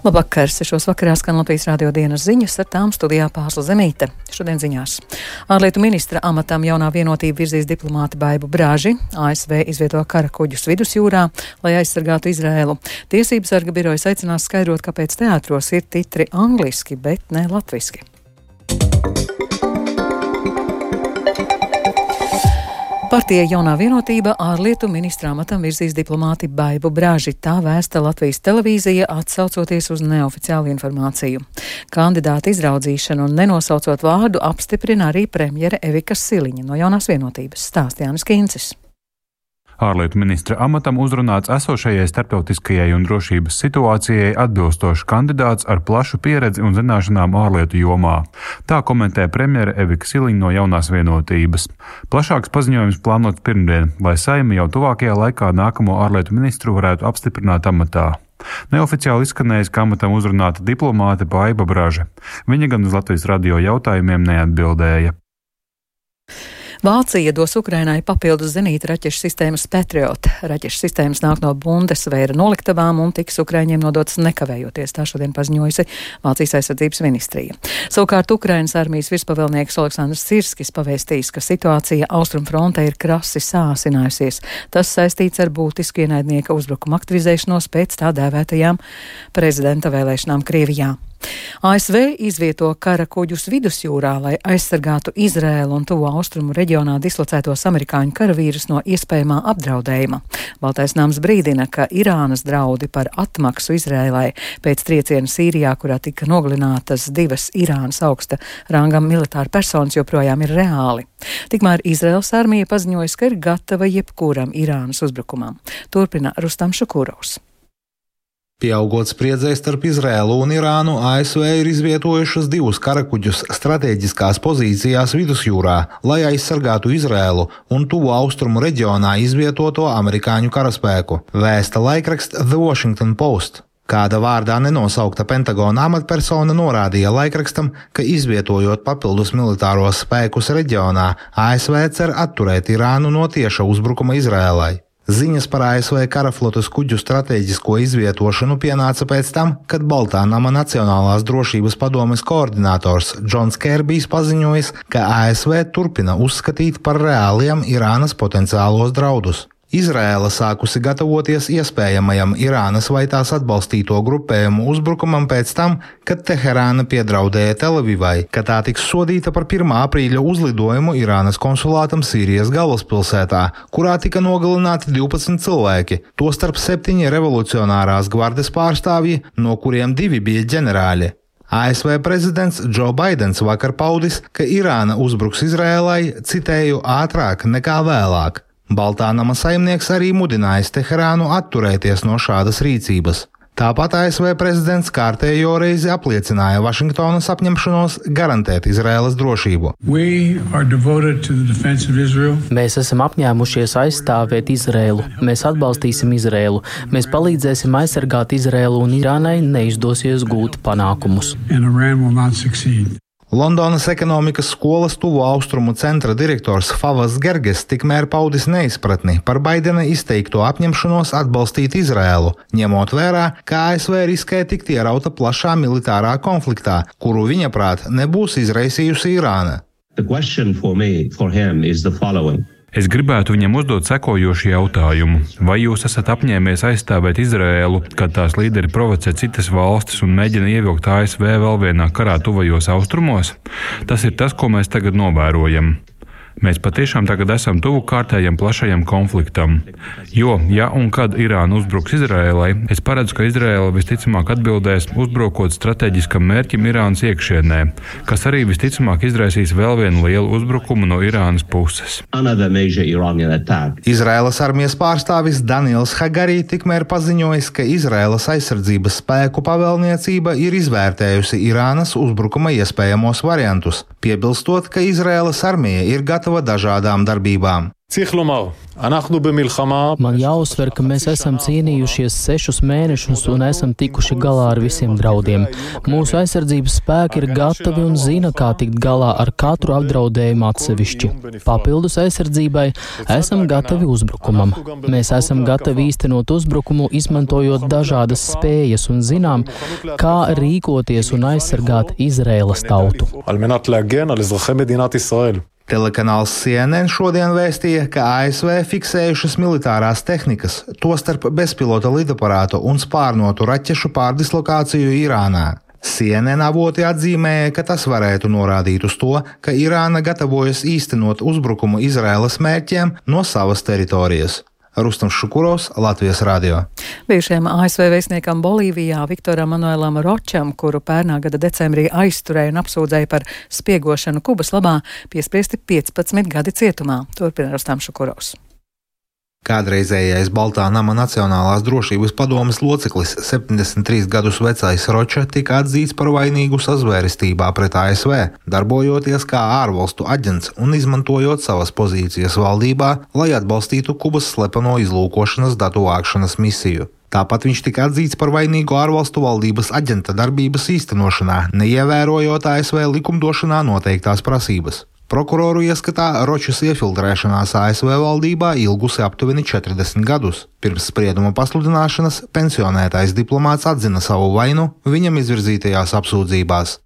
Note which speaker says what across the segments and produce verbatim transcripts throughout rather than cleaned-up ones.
Speaker 1: Labvakar, sešos vakarā skan Latvijas radio dienas ziņas, ar tām studijā Pārsla Zemīte. Šodien ziņās. Ārlietu ministra amatam jaunā vienotība virzīs diplomāti Baibu Braži. A S V izvieto kara kuģus vidusjūrā, lai aizsargātu Izraēlu. Tiesības sarga birojas aicinās skaidrot, kāpēc teātros ir titri angliski, bet ne latviski. Partija Jaunā vienotība ārlietu ministra amatam virzīs diplomāti Baibu Braži. Tā vēsta Latvijas televīzija, atsaucoties uz neoficiālu informāciju. Kandidāta izraudzīšanu un nenosaucot vārdu apstiprina arī premjere Evika Siliņa no Jaunās vienotības, stāsta Jānis Kīncis.
Speaker 2: Ārlietu ministra amatam uzrunāts esošajai starptautiskajai un drošības situācijai atbilstošs kandidāts ar plašu pieredzi un zināšanām ārlietu jomā. Tā komentē premjere Evika Siliņa no Jaunās vienotības. Plašāks paziņojums plānots pirmdien, lai Saeima jau tuvākajā laikā nākamo ārlietu ministru varētu apstiprināt amatā. Neoficiāli izskanējis, ka amatam uzrunāta diplomāte Baiba Braža. Viņa gan uz Latvijas radio jautājumiem neatbildēja.
Speaker 1: Vācija dos Ukrainai papildus zenīta raķešu sistēmas Patriot. Raķešu sistēmas nāk no Bundesveira noliktavām un tiks Ukraiņiem nodotas nekavējoties, tā šodien paziņojusi Vācijas aizsardzības ministrija. Savukārt Ukrainas armijas virspavēlnieks Aleksandrs Sirskis pavēstījis, ka situācija austrumfrontē ir krasi sāsinājusies. Tas saistīts ar būtisku ienaidnieka uzbrukuma aktivizēšanos pēc tā dēvētajām prezidenta vēlēšanām Krievijā. A S V izvieto kara kuģus vidusjūrā, lai aizsargātu Izraēlu un tuvo austrumu reģionā dislocētos amerikāņu karavīrus no iespējamā apdraudējuma. Baltais nams brīdina, ka Irānas draudi par atmaksu Izraēlai pēc trieciena Sīrijā, kurā tika nogalinātas divas Irānas augsta rangam militāra personas, joprojām ir reāli. Tikmēr Izraēlas armija paziņojas, ka ir gatava jebkuram Irānas uzbrukumam. Turpina Rustam Šukurovs.
Speaker 3: Pieaugot spriedzei starp Izraēlu un Irānu, A S V ir izvietojušas divus karakuģus strateģiskās pozīcijās vidusjūrā, lai aizsargātu Izraēlu un tuvo austrumu reģionā izvietoto amerikāņu karaspēku, vēsta laikraksts The Washington Post. Kāda vārdā nenosaukta Pentagona amatpersona norādīja laikrakstam, ka izvietojot papildus militāros spēkus reģionā, A S V cer atturēt Irānu no tieša uzbrukuma Izraēlai. Ziņas par A S V karaflotes kuģu strateģisko izvietošanu pienāca pēc tam, kad Baltā nama Nacionālās drošības padomes koordinators Džons Kerbijs paziņojis, ka A S V turpina uzskatīt par reāliem Irānas potenciālos draudus. Izraēla sākusi gatavoties iespējamajam Irānas vai tās atbalstīto grupējumu uzbrukumam pēc tam, kad Teherāna piedraudēja Telavivai, ka tā tiks sodīta par pirmā aprīļa uzlidojumu Irānas konsulātam Sīrijas galvaspilsētā, kurā tika nogalināti divpadsmit cilvēki, tostarp septiņi revolucionārās gvardes pārstāvji, no kuriem divi bija ģenerāļi. A S V prezidents Džo Baidens vakar paudis, ka Irāna uzbruks Izraēlai, citēju, ātrāk nekā vēlāk. Baltā nama saimnieks arī mudinājis Teherānu atturēties no šādas rīcības. Tāpat A S V prezidents kārtējo reizi apliecināja Vašingtonas apņemšanos garantēt Izraēlas drošību.
Speaker 4: Mēs esam apņēmušies aizstāvēt Izraēlu. Mēs atbalstīsim Izraēlu. Mēs palīdzēsim aizsargāt Izraēlu un Irānai neizdosies gūt panākumus.
Speaker 3: Londonas ekonomikas skolas tuvo austrumu centra direktors Favas Gerges tikmēr paudis neizpratni par Baidena izteikto apņemšanos atbalstīt Izraēlu, ņemot vērā, ka A S V riskē tikt ierauta plašā militārā konfliktā, kuru viņa prāt nebūs izraisījusi Irāna.
Speaker 2: Es gribētu viņam uzdot sekojošu jautājumu. Vai jūs esat apņēmies aizstāvēt Izraēlu, kad tās līderi provocē citas valstis un mēģina ievilkt A S V vēl vienā karā tuvajos austrumos? Tas ir tas, ko mēs tagad novērojam. Mēs patiešām tagad esam tuvu kārtējam plašajam konfliktam. Jo, ja un kad Irāna uzbruks Izraēlai, es paredzu, ka Izraēla visticamāk atbildēs uzbrukot strateģiskam mērķim Irānas iekšienē, kas arī visticamāk izraisīs vēl vienu lielu uzbrukumu no Irānas puses.
Speaker 3: Izraēlas armijas pārstāvis Daniels Hagari tikmēr paziņojis, ka Izraēlas aizsardzības spēku pavēlniecība ir izvērtējusi Irānas uzbrukuma iespējamos variantus, piebilstot, ka Izraēlas armija ir gatava gatava dažādām darbībām.
Speaker 4: Man jāuzsver, ka mēs esam cīnījušies sešus mēnešus un esam tikuši galā ar visiem draudiem. Mūsu aizsardzības spēki ir gatavi un zina, kā tikt galā ar katru apdraudējumu atsevišķi. Papildus aizsardzībai esam gatavi uzbrukumam. Mēs esam gatavi īstenot uzbrukumu, izmantojot dažādas spējas un zinām, kā rīkoties un aizsargāt Izraēlas tautu.
Speaker 3: Telekanāls C N N šodien vēstīja, ka A S V fiksējušas militārās tehnikas, tostarp bezpilota lidaparātu un spārnotu raķešu pārdislokāciju Irānā. C N N avoti atzīmēja, ka tas varētu norādīt uz to, ka Irāna gatavojas īstenot uzbrukumu Izraēlas mērķiem no savas teritorijas. Rustams Šukurovs, Latvijas radio.
Speaker 1: Bijušajam A S V vēstniekam Bolīvijā Viktoram Manuelam Ročam, kuru pērnā gada decembrī aizturēja un apsūdzēja par spiegošanu Kubas labā, piespriesti piecpadsmit gadi cietumā. Turpina Rustams Šukurovs.
Speaker 3: Kādreizējais Baltā nama Nacionālās drošības padomes loceklis, septiņdesmit trīs gadus vecais Roča, tika atzīts par vainīgu sazvērestībā pret A S V, darbojoties kā ārvalstu aģents un izmantojot savas pozīcijas valdībā, lai atbalstītu Kubas slepeno izlūkošanas datu vākšanas misiju. Tāpat viņš tika atzīts par vainīgu ārvalstu valdības aģenta darbības īstenošanā, neievērojot A S V likumdošanā noteiktās prasības. Prokuroru ieskatā Ročas iefiltrēšanās A S V valdībā ilgusi aptuveni četrdesmit gadus. Pirms sprieduma pasludināšanas pensionētais diplomāts atzina savu vainu viņam izvirzītajās apsūdzībās.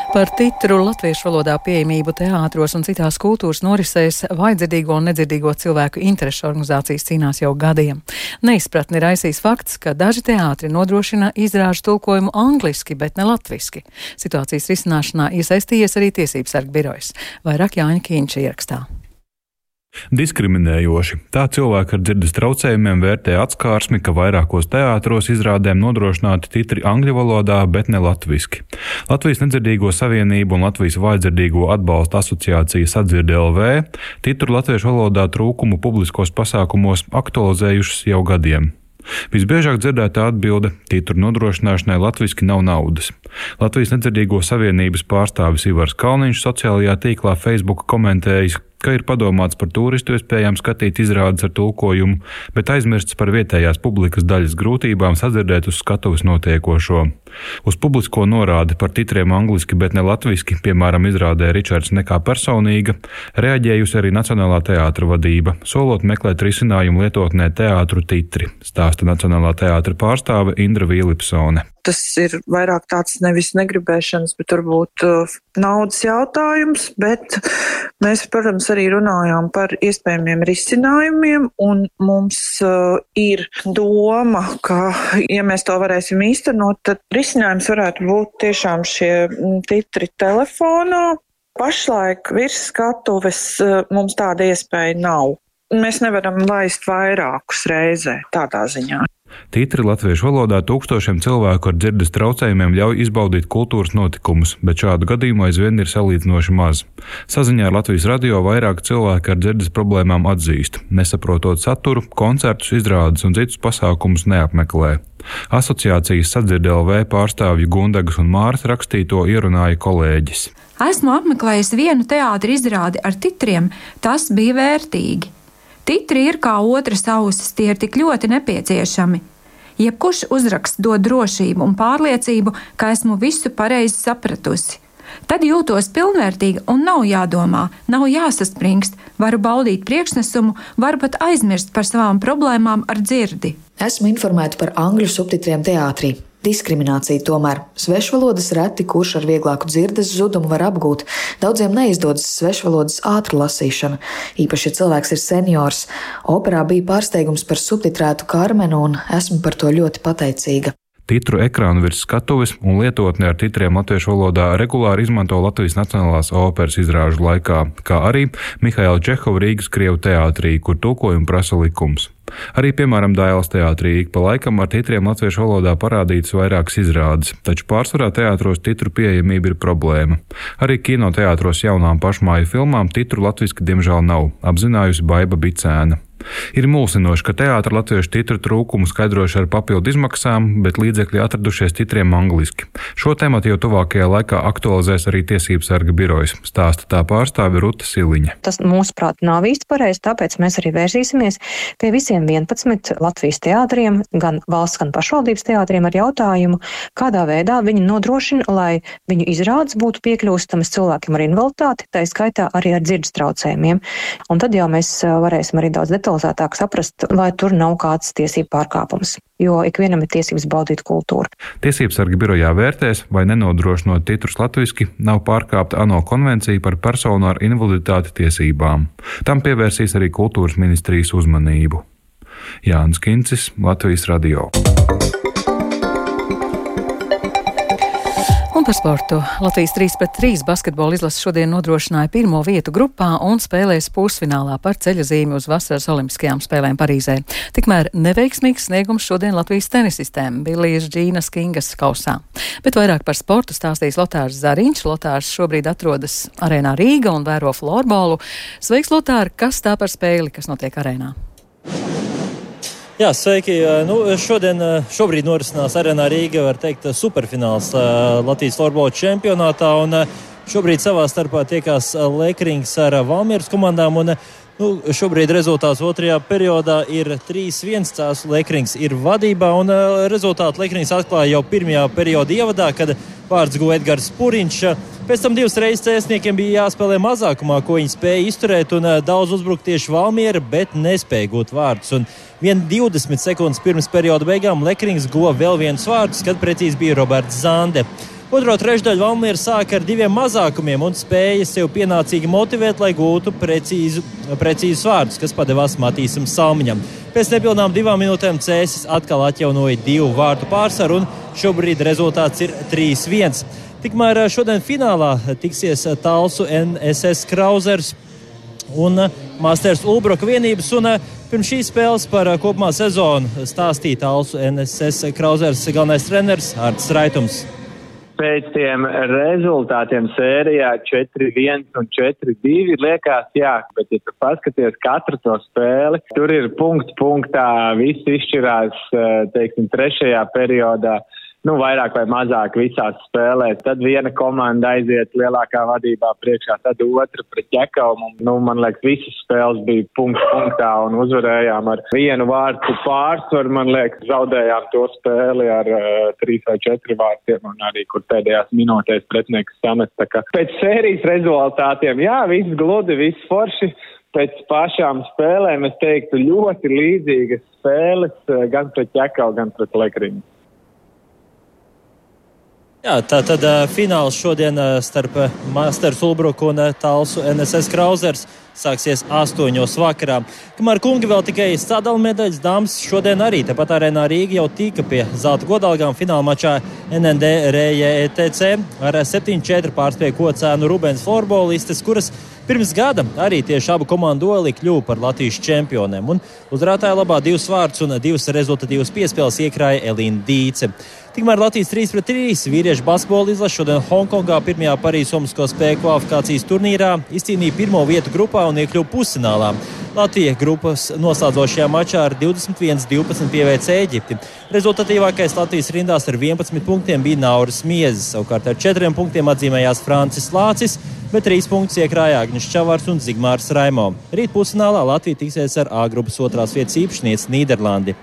Speaker 1: Par titru latviešu valodā pieejamību teātros un citās kultūras norisēs vājdzirdīgo un nedzirdīgo cilvēku interešu organizācijas cīnās jau gadiem. Neizpratni raisīs fakts, ka daži teātri nodrošina izrāžu tulkojumu angliski, bet ne latviski. Situācijas risināšanā iesaistījies arī Tiesības sarga birojas. Vairāk Jāņa Kīņša ierakstā.
Speaker 2: Diskriminējoši. Tā cilvēki ar dzirdes traucējumiem vērtē atskārsmi, ka vairākos teātros izrādēm nodrošināti titri angļu valodā, bet ne latviski. Latvijas nedzirdīgo savienību un Latvijas vājdzirdīgo atbalsta asociācija Sadzirde L V titru latviešu valodā trūkumu publiskos pasākumos aktualizējušas jau gadiem. Visbiežāk dzirdētā atbilde – titru nodrošināšanai latviski nav naudas. Latvijas nedzirdīgo savienības pārstāvis Ivars Kalniņš sociālajā tīklā Facebook komentējis, ka ir padomāts par turistu iespējām skatīt izrādes ar tulkojumu, bet aizmirsts par vietējās publikas daļas grūtībām sadzirdēt uz skatuves notiekošo. Uz publisko norādi par titriem angliski, bet ne latviski, piemēram, izrādē Ričards nekā personīga, reaģējusi arī Nacionālā teātra vadība, solot meklēt risinājumu lietotnē teātru titri, stāsta Nacionālā teātra pārstāve Indra Vīlipsone.
Speaker 5: Tas ir vairāk tāds nevis negribēšanas, bet varbūt uh, naudas jautājums, bet mēs, protams, arī runājām par iespējamiem risinājumiem, un mums uh, ir doma, ka, ja mēs to varēsim īstenot, tad risinājums varētu būt tiešām šie titri telefonā. Pašlaik virs skatuves uh, mums tāda iespēja nav. Mēs nevaram laist vairākus reizē tādā ziņā.
Speaker 2: Titri latviešu valodā tūkstošiem cilvēku ar dzirdes traucējumiem ļauj izbaudīt kultūras notikumus, bet šādu gadījumu aizvien ir salīdzinoši maz. Saziņā ar Latvijas radio vairāk cilvēki ar dzirdes problēmām atzīst, nesaprotot saturu, koncertus, izrādes un citus pasākumus neapmeklē. Asociācijas Sadzirde L V pārstāvju Gundagas un Māras rakstīto ierunāja kolēģis.
Speaker 6: Esmu apmeklējis vienu teātra izrādi ar titriem, tas bija vērtīgi. Titri ir kā otras ausis, tie ir tik ļoti nepieciešami. Jebkurš uzraksts dod drošību un pārliecību, ka esmu visu pareizi sapratusi. Tad jūtos pilnvērtīga un nav jādomā, nav jāsaspringst, varu baudīt priekšnesumu, varu pat aizmirst par savām problēmām ar dzirdi.
Speaker 7: Esmu informēta par angļu subtitriem teātrī. Diskriminācija tomēr. Svešvalodas reti, kurš ar vieglāku dzirdes zudumu var apgūt. Daudziem neizdodas svešvalodas ātra lasīšana. Īpaši, ja cilvēks ir seniors. Operā bija pārsteigums par subtitrētu Karmenu, un esmu par to ļoti pateicīga.
Speaker 2: Titru ekrānu virs skatuves un lietotni ar titriem latviešu valodā regulāri izmanto Latvijas Nacionālās operas izrāžu laikā, kā arī Mihaila Čehova Rīgas Krievu teātrī, kur tulkojumu prasa likums. Arī, piemēram, Dailas teātrī ik pa laikam ar titriem latviešu valodā parādītas vairākas izrādes, taču pārsvarā teātros titru pieejamība ir problēma. Arī kinoteātros jaunām pašmāju filmām titru latviski diemžēl nav, apzinājusi Baiba Bicēna. Ir mulsinoši, ka teātra latviešu titru trūkumu skaidrojuši ar papildu izmaksām, bet līdzekļi atradušies titriem angliski. Šo tematu jau tuvākajā laikā aktualizēs arī Tiesību sarga birojas, stāsta tā pārstāve Ruta Siliņa.
Speaker 8: Tas, mūsuprāt, nav īsti pareizi, tāpēc mēs arī vērsīsimies pie visiem vienpadsmit Latvijas teātriem, gan valsts, gan pašvaldības teātriem ar jautājumu, kādā veidā viņi nodrošina, lai viņu izrādes būtu piekļūstamas cilvēkiem ar invaliditāti, tā skaitā arī ar dzirdes traucējumiem. Un tad jau mēs varēsim arī daudz detalizētāk saprast, vai tur nav kāds tiesību pārkāpums, jo ikvienam ir tiesības baudīt kultūru.
Speaker 2: Tiesību sarga birojā vērtēs, vai nenodrošinot titrus latviski, nav pārkāpta ANO konvencija par personu ar invaliditāti tiesībām. Tam pievērsīs arī kultūras ministrijas uzmanību. Jānis Kincis, Latvijas radio.
Speaker 1: Un par sportu. Latvijas trīs pret trīs basketbola izlase šodien nodrošināja pirmo vietu grupā un spēlēs pusfinālā par ceļazīmi uz vasaras olimpiskajām spēlēm Parīzē. Tikmēr neveiksmīgs sniegums šodien Latvijas tenisistēm Bilijas Džīnas Kingas kausā. Bet vairāk par sportu stāstīs Lotārs Zariņš. Lotārs šobrīd atrodas arēnā Rīga un vēro florbolu. Sveiks, Lotār! Kas tā par spēli, kas notiek arēnā?
Speaker 9: Jā, sveiki. Nu, šodien, šobrīd norisinās arēnā Rīga, var teikt, superfināls Latvijas florbola čempionātā, un šobrīd savā starpā tiekās Lekrings ar Valmieras komandām, un nu, šobrīd rezultāts otrajā periodā ir trīs viens, Cēsu Lekrings ir vadībā, un rezultātu Lekrings atklāja jau pirmajā perioda ievadā, kad vārds guva Edgars Puriņš. Pēc tam divas reizes cēsniekiem bija jāspēlē mazākumā, ko viņi spēja izturēt, un daudz uzbrukt tieši Valmiera, bet nespēja gūt vārdus. Un vien divdesmit sekundes pirms perioda beigām Lekrings guva vēl viens vārdus, kad precīzi bija Roberts Zande. Otro trešdaļu Valmiera sāka ar diviem mazākumiem un spēja sev pienācīgi motivēt, lai gūtu precīzu, precīzus vārdus, kas padevās Matīsam Salmiņam. Pēc nepilnām divām minūtēm Cēsis atkal atjaunoja divu vārtu pārsvaru, un šobrīd rezultāts ir trīs viens. Tikmēr šodien finālā tiksies Talsu N S S Krauzers un Masters Ulbroka vienības, un pirms šīs spēles par kopumā sezonu stāstīja Talsu N S S Krauzers galvenais treneris Artis Raitums.
Speaker 10: Pēc tiem rezultātiem sērijā četri viens un četri divi liekas, jā, bet ja tu paskaties katru to spēli, tur ir punkts punktā, viss izšķirās, teiksim, trešajā periodā. Nu, vairāk vai mazāk visās spēlēs. Tad viena komanda aiziet lielākā vadībā priekšā, tad otra pret Ķekavu. Nu, man liekas, visas spēles bija punkts punktā un uzvarējām ar vienu vārtu pārsvaru. Man liekas, zaudējām to spēli ar uh, trīs vai četri vārtiem un arī, kur pēdējās minūtēs pretinieks samest. Tā kā pēc sērijas rezultātiem, jā, viss gludi, viss forši. Pēc pašām spēlēm, es teiktu, ļoti līdzīgas spēles gan pret Ķekavu, gan pret Lekringu.
Speaker 9: Jā, tā tad uh, fināls šodien uh, starp uh, Masters Ulbruku un uh, Talsu N S S Krauzers sāksies astoņos vakarā. Kamēr kungi vēl tikai sadalu medaļas, dāmas šodien arī tepat arēnā Rīga jau tika pie zelta godalgām fināla mačā N N D R J E T C ar septiņi četri pārspēja Kocēnu Rubens florbolistes, kuras pirms gada arī tieši abu komandu duelī kļuva par Latvijas čempioniem. Un uzvarētāja labā divus vārdus un divas rezultatīvas piespēles iekrāja Elīna Dīce. Tikmēr Latvijas trīs pret trīs vīriešu basketbola izlase šodien Hongkongā pirmajā Parīzes Olimpisko spēļu kvalifikācijas turnīrā izcīnīja pirmo vietu grupā un iekļuva pusfinālā. Latvija grupas noslēdzošajā mačā ar divdesmit viens divpadsmit pieveica Ēģipti. Rezultatīvākais Latvijas rindās ar vienpadsmit punktiem bija Nauris Miezis, savukārt ar četriem punktiem atzīmējās Francis Lācis, bet trīs punktus iekrāja Agnis Čavars un Zigmārs Raimo. Rīt pusfinālā Latvija tiksies ar A grupas otrās vietas īpašnieci Nīderlandi.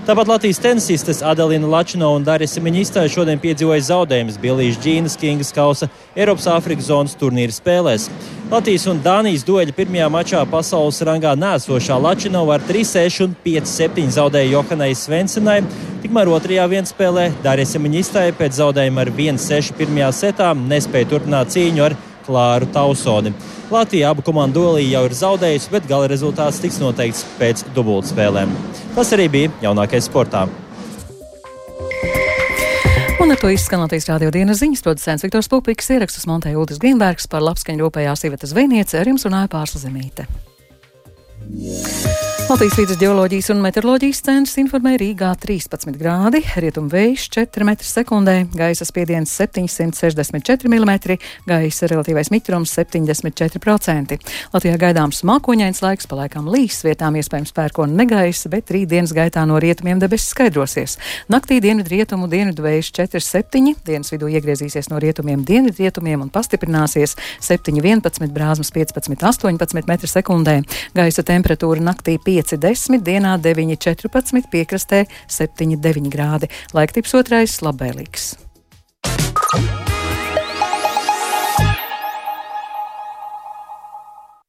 Speaker 9: Tāpat Latvijas tenisistes Adelina Lačino un Darisa Miņistāja šodien piedzīvoja zaudējumus Bilijas Džīnas Kingas kausa Eiropas Āfrikas zonas turnīra spēlēs. Latvijas un Dānijas dueļa pirmajā mačā pasaules rangā nēsošā Lačino ar trīs seši un pieci septiņi zaudēja Johanai Svensenai, tikmēr otrajā vienspēlē Darisa Miņistāja pēc zaudējuma ar viens seši pirmajā setā nespēja turpināt cīņu ar Klāru Tausoni. Latvija abu komandu duelī jau ir zaudējusi, bet gala rezultāts tiks noteikts pēc dubultspēlēm. Tas arī bija jaunākais sportā.
Speaker 1: Un ar to izskan Latvijas radio dienas ziņas, producents Viktors Pupiks, ierakstus montēja Uldis Grīnbergs, par labskaņu rūpējās Iveta Zvejniece, ar jums runāja Pārsla Zemīte. Latvijas vidus geoloģijas un meteoroloģijas centrs informē Rīgā trīspadsmit grādi, rietumu vējš četri metri sekundē, gaisa spiediens septiņsimt sešdesmit četri milimetri, gaisa relatīvais mitrums septiņdesmit četri procenti. Latvijā gaidāms mākoņains laiks, palaikām līs, vietām iespējams pērkona negaisa, bet rīt dienas gaitā no rietumiem debesis skaidrosies. Naktī dienvidu rietumu dienvidu vējš četri septiņi, dienas vidū iegriezīsies no rietumiem dienvidu rietumiem un pastiprināsies septiņi vienpadsmit, brāzmas piecpadsmit astoņpadsmit metri sekundē. Gaisa temperatūra naktī pieci desmit, dienā deviņi četrpadsmit, piekrastē septiņi deviņi grādi. Laiktips otrais labvēlīgs.